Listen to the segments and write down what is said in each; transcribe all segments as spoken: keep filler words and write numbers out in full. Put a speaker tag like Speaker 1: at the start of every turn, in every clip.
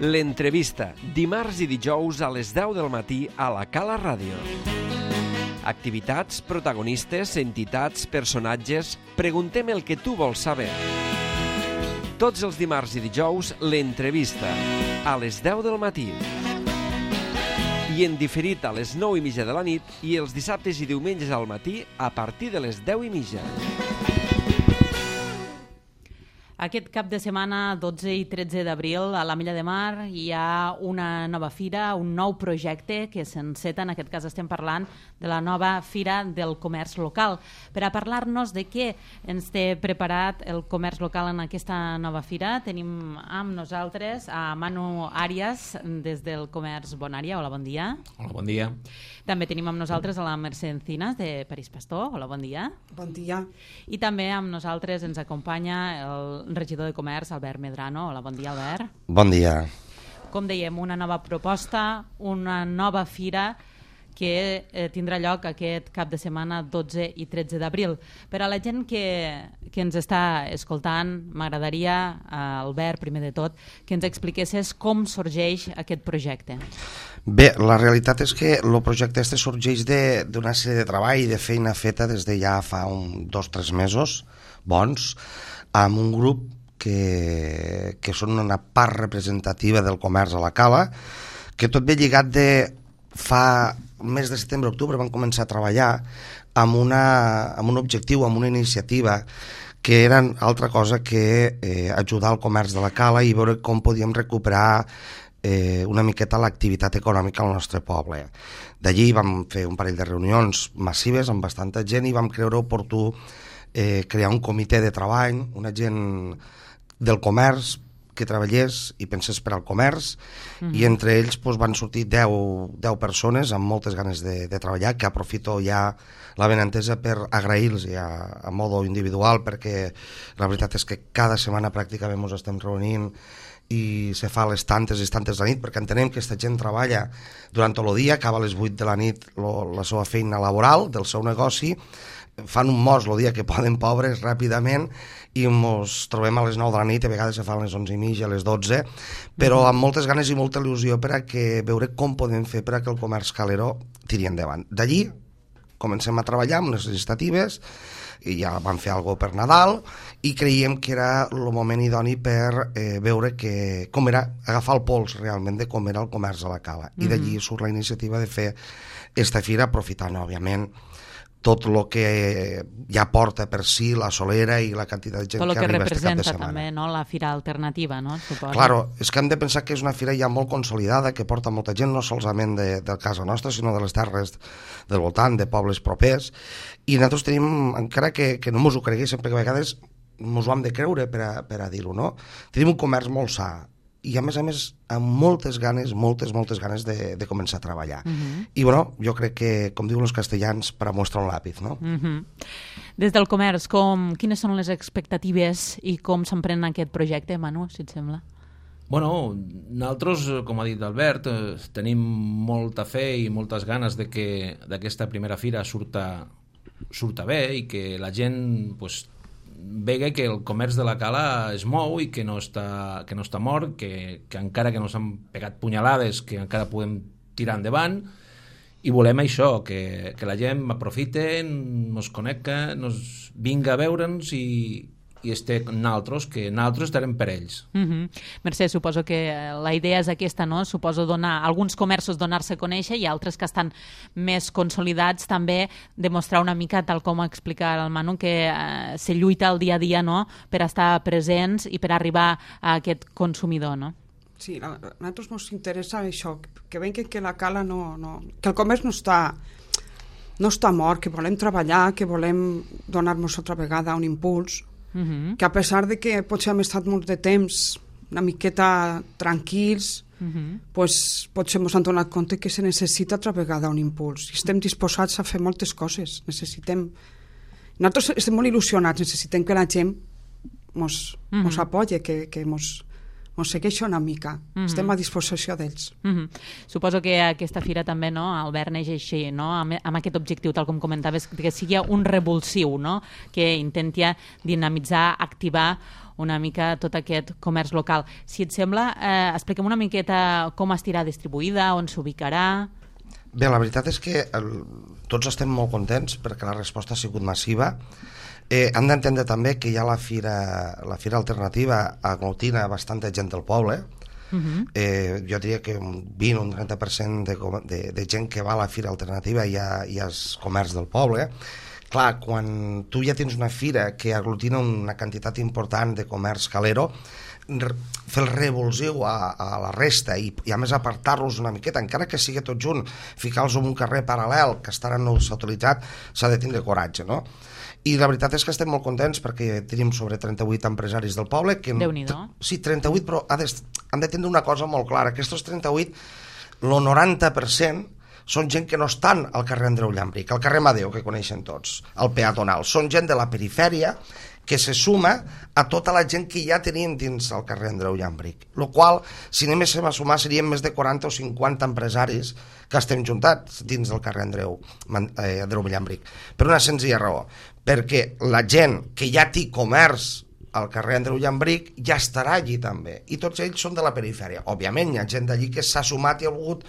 Speaker 1: L'entrevista, dimarts i dijous a les deu del matí a la Cala Ràdio. Activitats, protagonistes, entitats, personatges... Preguntem el que tu vols saber. Tots els dimarts i dijous, l'entrevista, a les deu del matí. I en diferit a les nou i mitja de la nit i els dissabtes i diumenges al matí a partir de les deu i mitja.
Speaker 2: Aquest cap de setmana, dotze i tretze d'abril, a l'Ametlla de Mar hi ha una nova fira, un nou projecte que s'enceta. En aquest cas estem parlant de la nova Fira del Comerç Local. Per a parlar-nos de què ens té preparat el comerç local en aquesta nova fira, tenim amb nosaltres a Manu Arias des del Comerç Bonària. Hola, bon dia.
Speaker 3: Hola, bon dia.
Speaker 2: També tenim amb nosaltres a la Mercè Encinas de París Pastor. Hola, bon dia.
Speaker 4: Bon dia.
Speaker 2: I també amb nosaltres ens acompanya el regidor de Comerç, Albert Medrano. Hola, bon dia, Albert.
Speaker 5: Bon dia.
Speaker 2: Com dèiem, una nova proposta, una nova fira que eh, tindrà lloc aquest cap de setmana dotze i tretze d'abril. Per a la gent que, que ens està escoltant, m'agradaria, eh, Albert, primer de tot, que ens expliquessis com sorgeix aquest projecte.
Speaker 5: Bé, la realitat és que el projecte este sorgeix d'una sèrie de treball i de feina feta des de ja fa un, dos o tres mesos bons, amb un grup que, que són una part representativa del comerç a la Cala, que tot ve lligat de fa el mes de setembre-octubre van començar a treballar amb, una, amb un objectiu, amb una iniciativa que era altra cosa que eh, ajudar al comerç de la Cala i veure com podíem recuperar eh, una miqueta l'activitat econòmica al nostre poble. D'allí vam fer un parell de reunions massives amb bastanta gent i vam creure oportú eh, crear un comitè de treball, una gent del comerç que treballés i pensés per al comerç, mm-hmm. i entre ells doncs, van sortir deu persones amb moltes ganes de, de treballar, que aprofito ja la benentesa per agrair-los ja a modo individual, perquè la veritat és que cada setmana pràcticament ens estem reunint i se fa a les tantes i tantes de la nit, perquè entenem que aquesta gent treballa durant tot el dia, acaba a les vuit de la nit lo, la seva feina laboral del seu negoci, fan un mos el dia que poden, pobres, ràpidament, i ens trobem a les nou de la nit, a vegades se fan les onze i mitja, a les dotze, però amb moltes ganes i molta il·lusió per a que veure com podem fer per a que el comerç caleró tiri endavant. D'allí comencem a treballar amb les legislatives, i ja vam fer alguna cosa per Nadal, i creiem que era el moment idoni per eh, veure que, com era, agafar el pols realment de com era el comerç a la Cala. Mm-hmm. I d'allí surt la iniciativa de fer esta fira, aprofitant, òbviament, tot el que ja porta per si la solera i la quantitat de gent
Speaker 2: tot
Speaker 5: que, que arriba este cap de setmana.
Speaker 2: Tot el que representa també, no? La fira alternativa, no? Suposo.
Speaker 5: Claro, és que hem de pensar que és una fira ja molt consolidada, que porta molta gent, no solament de, de casa nostra, sinó de les terres del voltant, de pobles propers, i nosaltres tenim, encara que, que no mos ho creguéssim, perquè a vegades mos ho hem de creure per a, per a dir-ho, no? Tenim un comerç molt sa, i a més a més amb moltes ganes, moltes, moltes ganes de, de començar a treballar. Uh-huh. I bueno, jo crec que, com diuen els castellans, per a mostrar un làpiz, no?
Speaker 2: Uh-huh. Des del comerç, com, quines són les expectatives i com s'emprèn aquest projecte, Manu, si et sembla?
Speaker 3: Bueno, nosaltres, com ha dit Albert, tenim molta fe i moltes ganes de que d'aquesta primera fira surta, surta bé i que la gent pues, vega que el comerç de la Cala es mou i que no està, que no està mort, que, que encara que no s'han pegat punyalades, que encara podem tirar endavant, i volem això, que, que la gent aprofite, nos connecta, nos vinga a veure'ns i, i esté nosaltres, que nosaltres estarem per ells.
Speaker 2: Mm-hmm. Mercè, suposo que la idea és aquesta, no? Suposo donar, alguns comerços donar-se a conèixer i altres que estan més consolidats també demostrar una mica, tal com explica el Manu, que eh, se lluita el dia a dia, no?, per estar presents i per arribar a aquest consumidor, no?
Speaker 4: Sí, a nosaltres ens interessa això, que veiem que, que la Cala no, no... que el comerç no està, no està mort, que volem treballar, que volem donar-nos altra vegada un impuls, uh-huh. que a pesar de que potser hem estat molt de temps una miqueta tranquils, uh-huh. pues, potser ens han donat compte que se necessita altra vegada un impuls. I estem disposats a fer moltes coses. Necessitem... Nosaltres estem molt il·lusionats, necessitem que la gent ens uh-huh. apoyi, que, que ens ens segueixen una mica. Mm-hmm. Estem a disposició d'ells.
Speaker 2: Mm-hmm. Suposo que aquesta fira també, no, Albert, neix així, no? amb, amb aquest objectiu, tal com comentaves, que sigui un revulsiu, no? Que intenti dinamitzar, activar una mica tot aquest comerç local. Si et sembla, eh, expliquem una miqueta com estirà distribuïda, on s'ubicarà...
Speaker 5: Bé, la veritat és que el, tots estem molt contents perquè la resposta ha sigut massiva. Eh, hem d'entendre també que ja la fira, la fira alternativa aglutina bastanta gent del poble. Uh-huh. eh, jo diria que un vint o un trenta per cent de, de, de gent que va a la fira alternativa ja, ja és comerç del poble. Clar, quan tu ja tens una fira que aglutina una quantitat important de comerç calero, fer el revulsiu a, a la resta i, i a més apartar-los una miqueta, encara que sigui tot junt, ficar-los en un carrer paral·lel que estarà no s'ha utilitzat, s'ha de tindre coratge, no? I la veritat és que estem molt contents perquè tenim sobre trenta-vuit empresaris del poble que...
Speaker 2: Déu-n'hi-do.
Speaker 5: Sí, trenta-vuit, però ha de, han de tindre una cosa molt clara, que aquests trenta-vuit, el noranta per cent són gent que no estan al carrer Andreu Llambric, al carrer Madeu, que coneixen tots, al peatonal. Són gent de la perifèria que se suma a tota la gent que ja tenim dins el carrer Andreu Llambric. Lo qual, si anéssim a sumar, serien més de quaranta o cinquanta empresaris que estem juntats dins del carrer Andreu, eh, Andreu Llambric. Per una senzilla raó, perquè la gent que ja té comerç al carrer Andreu Llambric ja estarà allí també, i tots ells són de la perifèria. Òbviament hi ha gent d'allí que s'ha sumat i ha volgut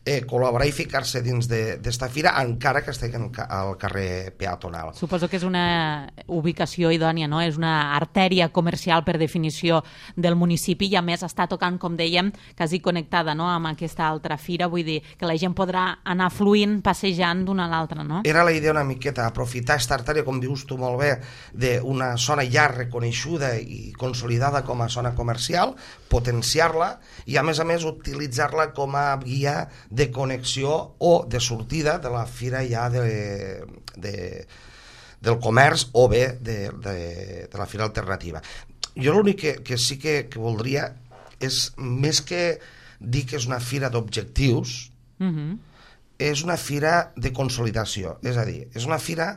Speaker 5: Eh, col·laborar i ficar-se dins d'esta fira encara que estigui al carrer peatonal.
Speaker 2: Suposo que és una ubicació idònia, no? És una artèria comercial per definició del municipi i a més està tocant, com dèiem, quasi connectada, no? Amb aquesta altra fira, vull dir que la gent podrà anar fluint, passejant d'una a l'altra, no?
Speaker 5: Era la idea una miqueta, aprofitar aquesta artèria, com dius tu molt bé, d'una zona ja reconeixuda i consolidada com a zona comercial, potenciar-la i a més a més utilitzar-la com a guia de connexió o de sortida de la fira ja de, de, del comerç o bé de, de, de la fira alternativa. Jo l'únic que, que sí que, que voldria és, més que dir que és una fira d'objectius, uh-huh. és una fira de consolidació, és a dir, és una fira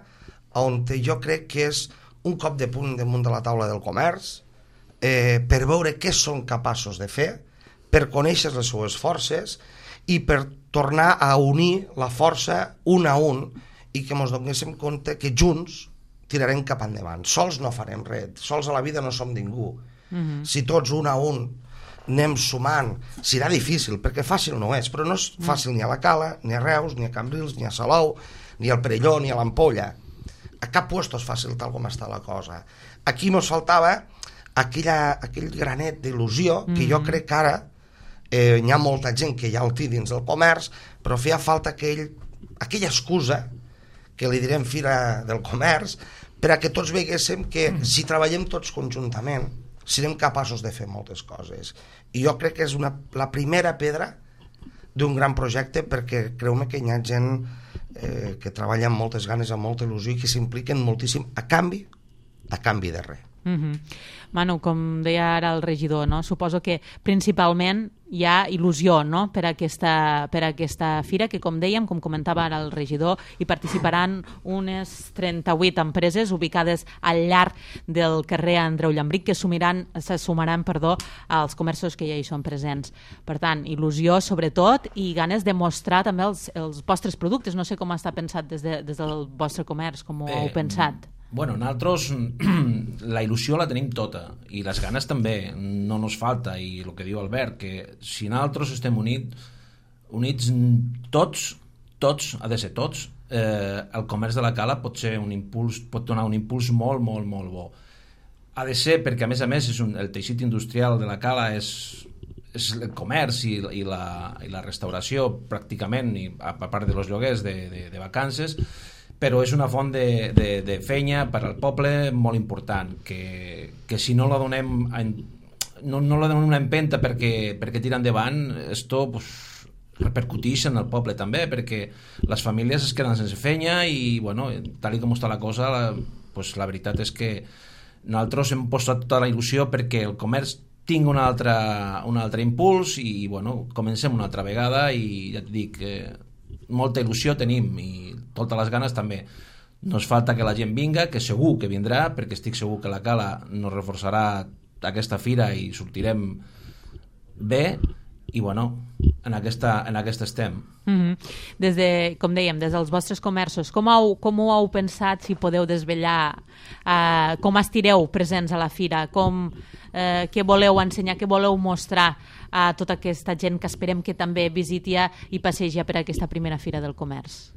Speaker 5: on jo crec que és un cop de punt damunt de la taula del comerç, eh, per veure què són capaços de fer, per conèixer les seues forces i per tornar a unir la força un a un i que ens donéssim compte que junts tirarem cap endavant. Sols no farem res, sols a la vida no som ningú. Uh-huh. Si tots un a un anem sumant, serà difícil, perquè fàcil no és, però no és fàcil ni a la Cala, ni a Reus, ni a Cambrils, ni a Salou, ni al Perelló, ni a l'Ampolla. A cap lloc és fàcil tal com està la cosa. Aquí ens faltava aquella, aquell granet d'il·lusió que jo crec que ara Eh, hi ha molta gent que ja el té dins del comerç, però feia falta aquell, aquella excusa que li direm fira del comerç per a que tots veguéssim que si treballem tots conjuntament serem capaços de fer moltes coses. I jo crec que és una, la primera pedra d'un gran projecte, perquè creu-me que hi ha gent eh, que treballa amb moltes ganes, amb molta il·lusió i que s'impliquen moltíssim a canvi, a canvi de res.
Speaker 2: Uh-huh. Manu, com deia ara el regidor, no? Suposo que principalment hi ha il·lusió, no? per, aquesta, per aquesta fira, que com dèiem, com comentava ara el regidor, hi participaran unes trenta-vuit empreses ubicades al llarg del carrer Andreu Llambric que sumiran, se sumaran perdó, als comerços que ja hi són presents. Per tant, il·lusió sobretot i ganes de mostrar també els, els vostres productes. No sé com està pensat des, de, des del vostre comerç, com ho
Speaker 3: eh,
Speaker 2: heu pensat.
Speaker 3: Bueno, nosaltres la il·lusió la tenim tota i les ganes també, no nos falta, i el que diu Albert, que si nosaltres estem units, units tots, tots, ha de ser tots, eh, el comerç de la Cala pot ser un impuls, pot donar un impuls molt, molt, molt bo. Ha de ser perquè, a més a més, és un, el teixit industrial de la Cala és, és el comerç i, i, la, i la restauració pràcticament, i a, a part de los lloguers de, de, de vacances, però és una font de, de, de feina per al poble molt important, que, que si no la donem en, no, no la donem una empenta perquè, perquè tira endavant, esto pues, repercuteix en el poble també, perquè les famílies es queden sense feina i, bueno, tal com està la cosa, la, pues, la veritat és que nosaltres hem posat tota la il·lusió perquè el comerç tingui un altre, un altre impuls i, bueno, comencem una altra vegada i ja et dic, eh, molta il·lusió tenim i totes les ganes també. No ens falta que la gent vinga, que segur que vindrà, perquè estic segur que la Cala nos reforçarà aquesta fira i sortirem bé i, bueno, en aquesta, en aquesta estem.
Speaker 2: Mm-hmm. Des de, com dèiem, des dels vostres comerços, com, heu, com ho heu pensat, si podeu desvetllar, eh, com estireu presents a la fira, com, eh, què voleu ensenyar, què voleu mostrar a tota aquesta gent que esperem que també visiti i passeja per aquesta primera fira del comerç?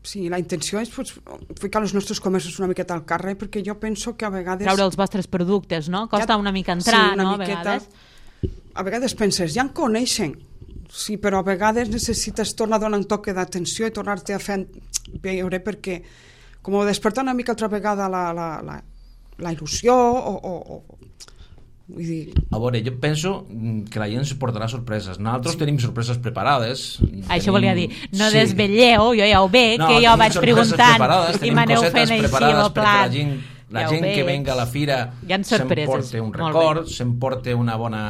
Speaker 4: Sí, la intenció és pues, ficar els nostres comerços una miqueta al carrer, perquè jo penso que a vegades...
Speaker 2: Treure els vostres productes, no? Costa una mica entrar,
Speaker 4: sí, una
Speaker 2: no?
Speaker 4: Miqueta,
Speaker 2: a vegades...
Speaker 4: A vegades penses, ja en coneixen, sí, però a vegades necessites tornar a donar un toc d'atenció i tornar-te a fer veure, perquè com despertar una mica altra vegada la, la, la, la il·lusió o, o, o vull dir...
Speaker 3: A veure, jo penso que la gent se portarà sorpreses. Nosaltres sí. tenim sorpreses preparades.
Speaker 2: Això
Speaker 3: tenim...
Speaker 2: volia dir, no
Speaker 3: sí.
Speaker 2: desvetlleu, jo ja ho veig,
Speaker 3: no,
Speaker 2: que jo vaig preguntant i m'aneu fent així el plat.
Speaker 3: La gent, la ja gent que venga a la fira s'emporta un record, s'emporta una bona...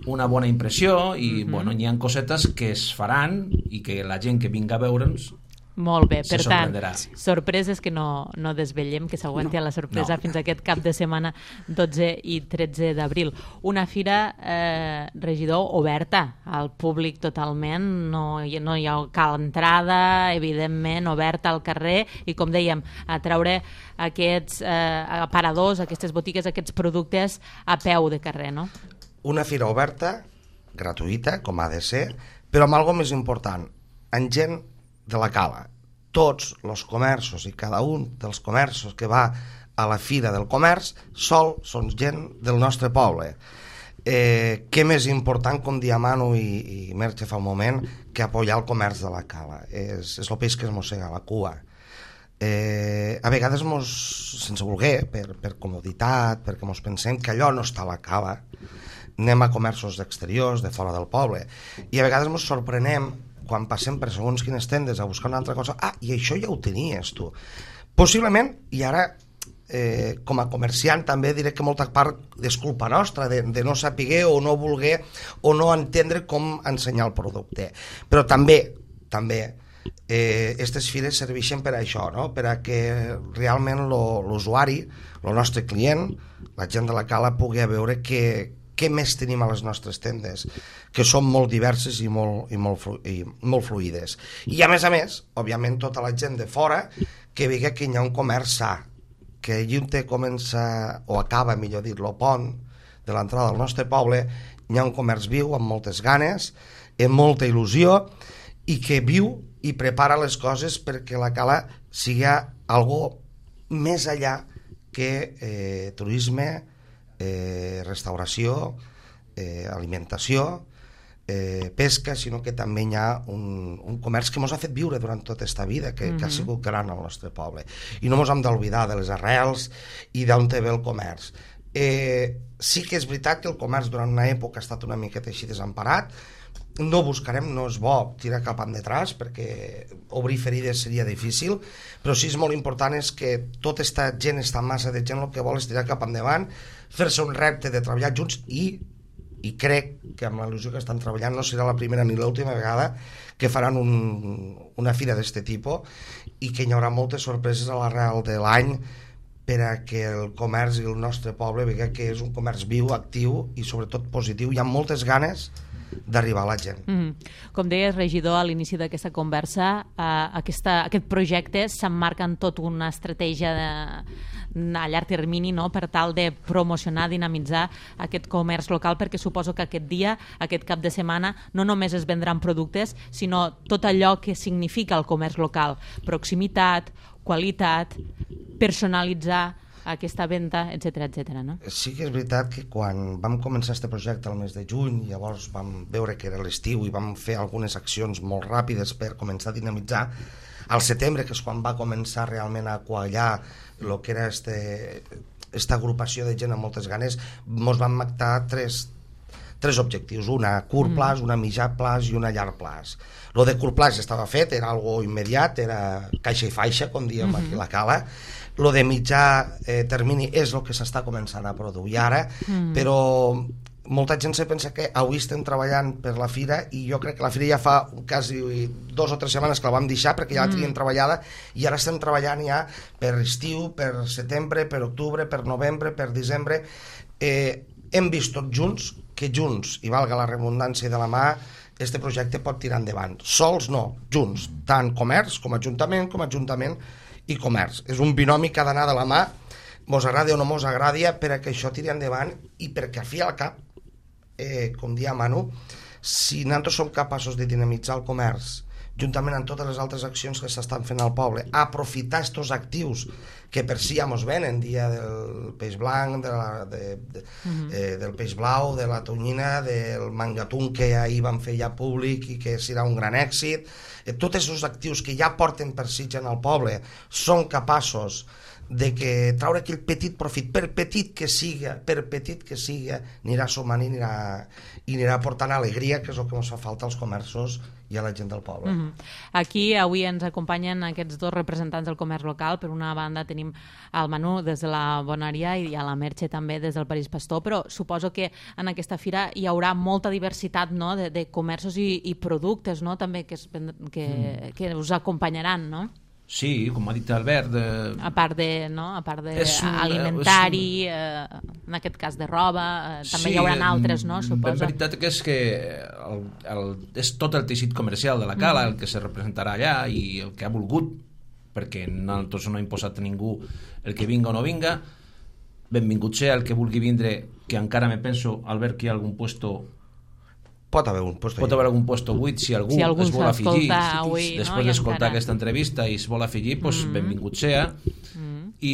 Speaker 3: una bona impressió i mm-hmm. bueno, hi ha cosetes que es faran i que la gent que vinga a veure'ns
Speaker 2: molt bé, per tant, sorpreses que no, no desvetllem, que s'aguanti no, la sorpresa no. fins a aquest cap de setmana dotze i tretze d'abril. Una fira, eh, regidor, oberta al públic totalment, no, no hi ha cal entrada, evidentment, oberta al carrer i, com dèiem, a treure aquests eh, aparadors, aquestes botigues, aquests productes a peu de carrer, no?
Speaker 5: Una fira oberta, gratuïta, com ha de ser, però amb algo més important, amb gent de la Cala. Tots els comerços i cada un dels comerços que va a la Fira del Comerç sol són gent del nostre poble. Eh, què més important, com dia Manu i, i Merche fa un moment, que apoyar el comerç de la Cala. És, és el peix que es mossega la cua. Eh, a vegades mos, sense voler, per, per comoditat, perquè mos pensem que allò no està a la Cala, anem a comerços exteriors, de fora del poble, i a vegades mos sorprenem quan passem per segons quines tendes a buscar una altra cosa, ah, i això ja ho tenies tu. Possiblement, i ara eh, com a comerciant també diré que molta part és culpa nostra de, de no saber o no voler o no entendre com ensenyar el producte, però també també eh, aquestes fires serveixen per a això, no? Per a que realment l'usuari, el nostre client, la gent de la Cala pugui veure que què més tenim a les nostres tendes, que són molt diverses i molt, i molt, flu, i molt fluides. I a més a més, òbviament, tota la gent de fora que vegi que hi ha un comerç sa, que allí on comença, o acaba, millor dit, el pont de l'entrada al nostre poble, hi ha un comerç viu, amb moltes ganes, amb molta il·lusió, i que viu i prepara les coses perquè la Cala sigui algo més allà que eh, turisme, Eh, restauració, eh, alimentació, eh, pesca, sinó que també hi ha un, un comerç que ens ha fet viure durant tota aquesta vida, que, mm-hmm. que ha sigut gran al nostre poble. I no ens hem d'oblidar de les arrels i d'on té ve el comerç. Eh, sí que és veritat que el comerç durant una època ha estat una miqueta així desemparat, no buscarem, no és bo tirar cap endetràs perquè obrir ferides seria difícil, però sí és molt important és que tota aquesta gent, aquesta massa de gent, el que vol és tirar cap endavant, fer-se un repte de treballar junts i, i crec que amb l'il·lusió que estan treballant no serà la primera ni l'última vegada que faran un, una fira d'aquest tipus i que hi haurà moltes sorpreses a l'arrel de l'any per a que el comerç i el nostre poble vegi que és un comerç viu, actiu i sobretot positiu. Hi ha moltes ganes d'arribar a la gent.
Speaker 2: Mm-hmm. Com deies, regidor, a l'inici d'aquesta conversa, eh, aquesta, aquest projecte s'emmarca en tot una estratègia de, a llarg termini, no?, per tal de promocionar, dinamitzar aquest comerç local, perquè suposo que aquest dia, aquest cap de setmana, no només es vendran productes, sinó tot allò que significa el comerç local, proximitat, qualitat, personalitzar aquesta venda, etcètera, etcètera, no?
Speaker 5: Sí que és veritat que quan vam començar aquest projecte al mes de juny, llavors vam veure que era l'estiu i vam fer algunes accions molt ràpides per començar a dinamitzar. Al setembre, que és quan va començar realment a quallar el que era aquesta agrupació de gent amb moltes ganes, ens vam marcar tres, tres objectius, una a curt plaç, una a mitjà plaç i una a llarg plaç. Lo de curt plaç estava fet, era algo immediat, era caixa i faixa, com diem mm-hmm. aquí a la Cala. Lo de mitjà eh, termini és el que s'està començant a produir ara, mm. però molta gent se pensa que avui estem treballant per la fira i jo crec que la fira ja fa quasi dos o tres setmanes que la vam deixar perquè ja la teníem mm. treballada i ara estem treballant ja per estiu, per setembre, per octubre, per novembre, per desembre. Eh, hem vist tots junts que junts, i valga la redundància de la mà, este projecte pot tirar endavant. Sols no, junts, tant comerç com ajuntament, com ajuntament i comerç. És un binomi que ha d'anar de la mà, mos agradi o no mos agradi, per a que això tiri endavant i perquè al fi al cap, eh, com dia Manu, si nosaltres som capaços de dinamitzar el comerç juntament amb totes les altres accions que s'estan fent al poble, aprofitar estos actius que per si ja mos venen, dia del peix blanc, de la, de, de, uh-huh. eh, del peix blau, de la tonyina, del mangatún que ahir van fer ja públic i que serà un gran èxit. Eh, tots aquests actius que ja porten per si en el poble són capaços de que traure aquell petit profit, per petit que siga, per petit que siga, anirà sumant i anirà, i anirà portant alegria, que és el que ens fa falta als comerços i a la gent del poble.
Speaker 2: Mm-hmm. Aquí avui ens acompanyen aquests dos representants del comerç local. Per una banda tenim el Manu des de la Bonaria i a la Merche també des del París Pastor, però suposo que en aquesta fira hi haurà molta diversitat, no?, de, de comerços i, i productes, no?, també que, es, que, mm. que us acompanyaran, no?
Speaker 3: Sí, com ha dit Albert... Eh,
Speaker 2: a part de, no? a part de és, alimentari, és, eh, en aquest cas de roba, eh, també sí, hi haurà altres, no? Suposo.
Speaker 3: La veritat que és que el, el, és tot el teixit comercial de la Cala mm. el que se representarà allà i el que ha volgut, perquè nosaltres no hem imposat a ningú el que vinga o no vinga. Benvingut ser el que vulgui vindre, que encara me penso, Albert, que hi ha algun puesto...
Speaker 5: Pot haver un puesto,
Speaker 3: pot haver algun puesto buit si algú,
Speaker 2: si algú
Speaker 3: es vol afegir
Speaker 2: avui,
Speaker 3: després
Speaker 2: no?
Speaker 3: d'escoltar
Speaker 2: encara...
Speaker 3: aquesta entrevista i es vol afegir, doncs mm. benvingut sea. Mm. I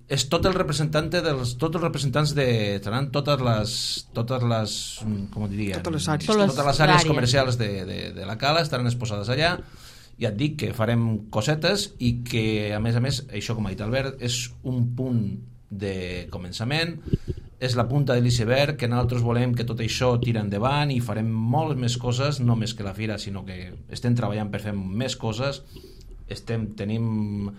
Speaker 3: és tot el representant dels, tots els representants de seran totes les totes les com diria,
Speaker 4: totes les àrees,
Speaker 3: totes les àrees comercials de, de, de la Cala estaran exposades allà. Ja et dic que farem cosetes i que a més a més, això com ha dit Albert, és un punt de començament, és la punta de l'iceberg, que nosaltres volem que tot això tira endavant i farem moltes més coses, no més que la fira, sinó que estem treballant per fer més coses. Estem, tenim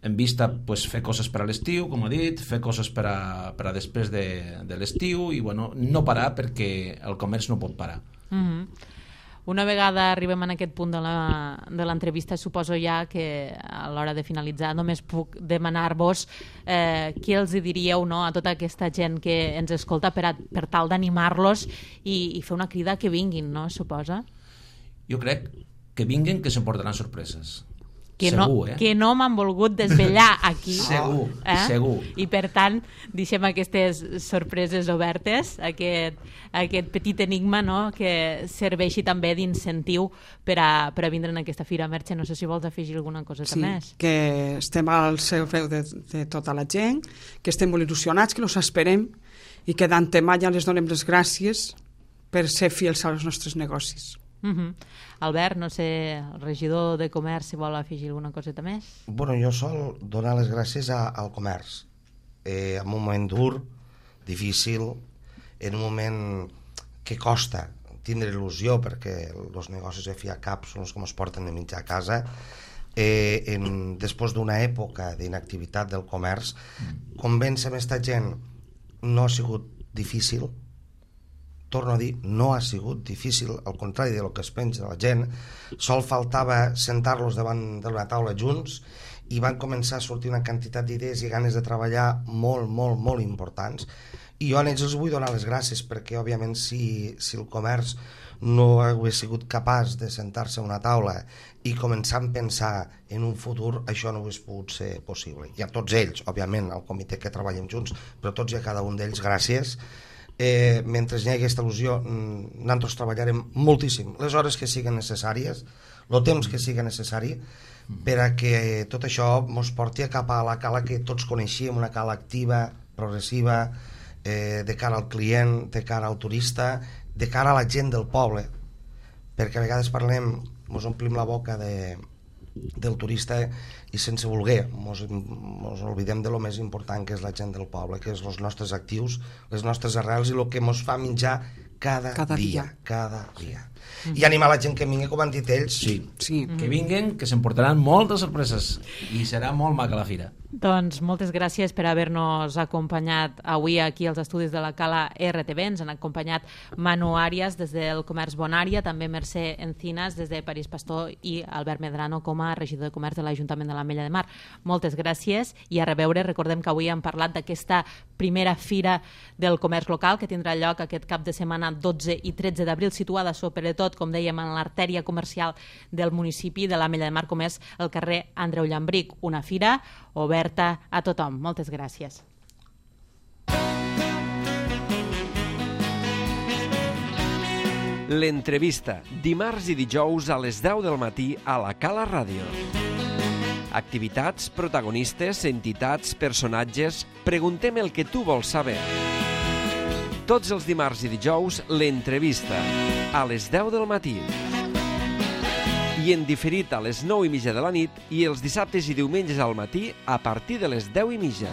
Speaker 3: en vista pues, fer coses per a l'estiu, com ha dit, fer coses per a, per a després de, de l'estiu i bueno, no parar perquè el comerç no pot parar.
Speaker 2: Mm-hmm. Una vegada arribem en aquest punt de l'entrevista, suposo ja que a l'hora de finalitzar només puc demanar-vos eh, què els diríeu, no?, a tota aquesta gent que ens escolta per, a, per tal d'animar-los i, i fer una crida que vinguin, no?, suposa?
Speaker 3: Jo crec que vinguin, que s'emportaran sorpreses.
Speaker 2: Que
Speaker 3: segur,
Speaker 2: no,
Speaker 3: eh?
Speaker 2: que no m'han volgut desvetllar aquí.
Speaker 3: Segur,
Speaker 2: eh?
Speaker 3: segur.
Speaker 2: I per tant, deixem aquestes sorpreses obertes, aquest, aquest petit enigma, no?, que serveixi també d'incentiu per a, per a vindre en aquesta fira. Merche, no sé si vols afegir alguna coseta
Speaker 4: sí,
Speaker 2: més.
Speaker 4: Que estem al servei de, de tota la gent, que estem molt il·lusionats, que els esperem i que d'antemà ja les donem les gràcies per ser fidels als nostres negocis.
Speaker 2: Uh-huh. Albert, no sé, el regidor de comerç, si vol afegir alguna coseta més.
Speaker 5: Bueno, jo sol donar les gràcies a, al comerç, eh, en un moment dur, difícil, en un moment que costa tindre il·lusió perquè els negocis de fi a cap són els que ens porten de mitja a casa. Eh, en, després d'una època d'inactivitat del comerç, convèncer aquesta gent no ha sigut difícil. Torno a dir, no ha sigut difícil, al contrari de lo que es pensa la gent. Sol faltava sentar-los davant d'una taula junts i van començar a sortir una quantitat d'idees i ganes de treballar molt, molt, molt importants. I jo a ells els vull donar les gràcies perquè, òbviament, si, si el comerç no hagués sigut capaç de sentar-se a una taula i començar a pensar en un futur, això no hagués pogut ser possible. I a tots ells, òbviament, al comitè que treballem junts, però tots i a cada un d'ells, gràcies. Eh, mentre hi hagi aquesta il·lusió, nosaltres treballarem moltíssim les hores que siguin necessàries, el temps que sigui necessari, per a que tot això ens porti a cap a la Cala que tots coneixíem, una Cala activa, progressiva, eh, de cara al client, de cara al turista, de cara a la gent del poble, perquè a vegades parlem, ens omplim la boca de, del turista i sense voler mos, mos oblidem de lo més important que és la gent del poble, que és els nostres actius, les nostres arrels i el que mos fa menjar cada, cada dia, dia cada dia. Mm-hmm. I animar la gent que vingui, com han dit ells.
Speaker 3: Sí,
Speaker 4: sí.
Speaker 3: Que vinguin, que s'emportaran moltes sorpreses i serà molt maca la fira.
Speaker 2: Doncs moltes gràcies per haver-nos acompanyat avui aquí als estudis de la Cala R T V. Ens han acompanyat Manu Arias des del Comerç Bonària, també Mercè Encinas des de París Pastor i Albert Medrano com a regidor de Comerç de l'Ajuntament de l'Ametlla de Mar. Moltes gràcies i a reveure. Recordem que avui hem parlat d'aquesta primera fira del comerç local que tindrà lloc aquest cap de setmana dotze i tretze d'abril, situada sobretot, com dèiem, en l'artèria comercial del municipi de l'Ametlla de Mar, com és el carrer Andreu Llambric. Una fira oberta a tothom. Moltes gràcies.
Speaker 1: L'entrevista, dimarts i dijous a les deu del matí a la Cala Ràdio. Activitats, protagonistes, entitats, personatges... Preguntem el que tu vols saber. Tots els dimarts i dijous, l'entrevista, a les deu del matí. I en diferit a les nou i mitja de la nit i els dissabtes i diumenges al matí a partir de les deu i mitja.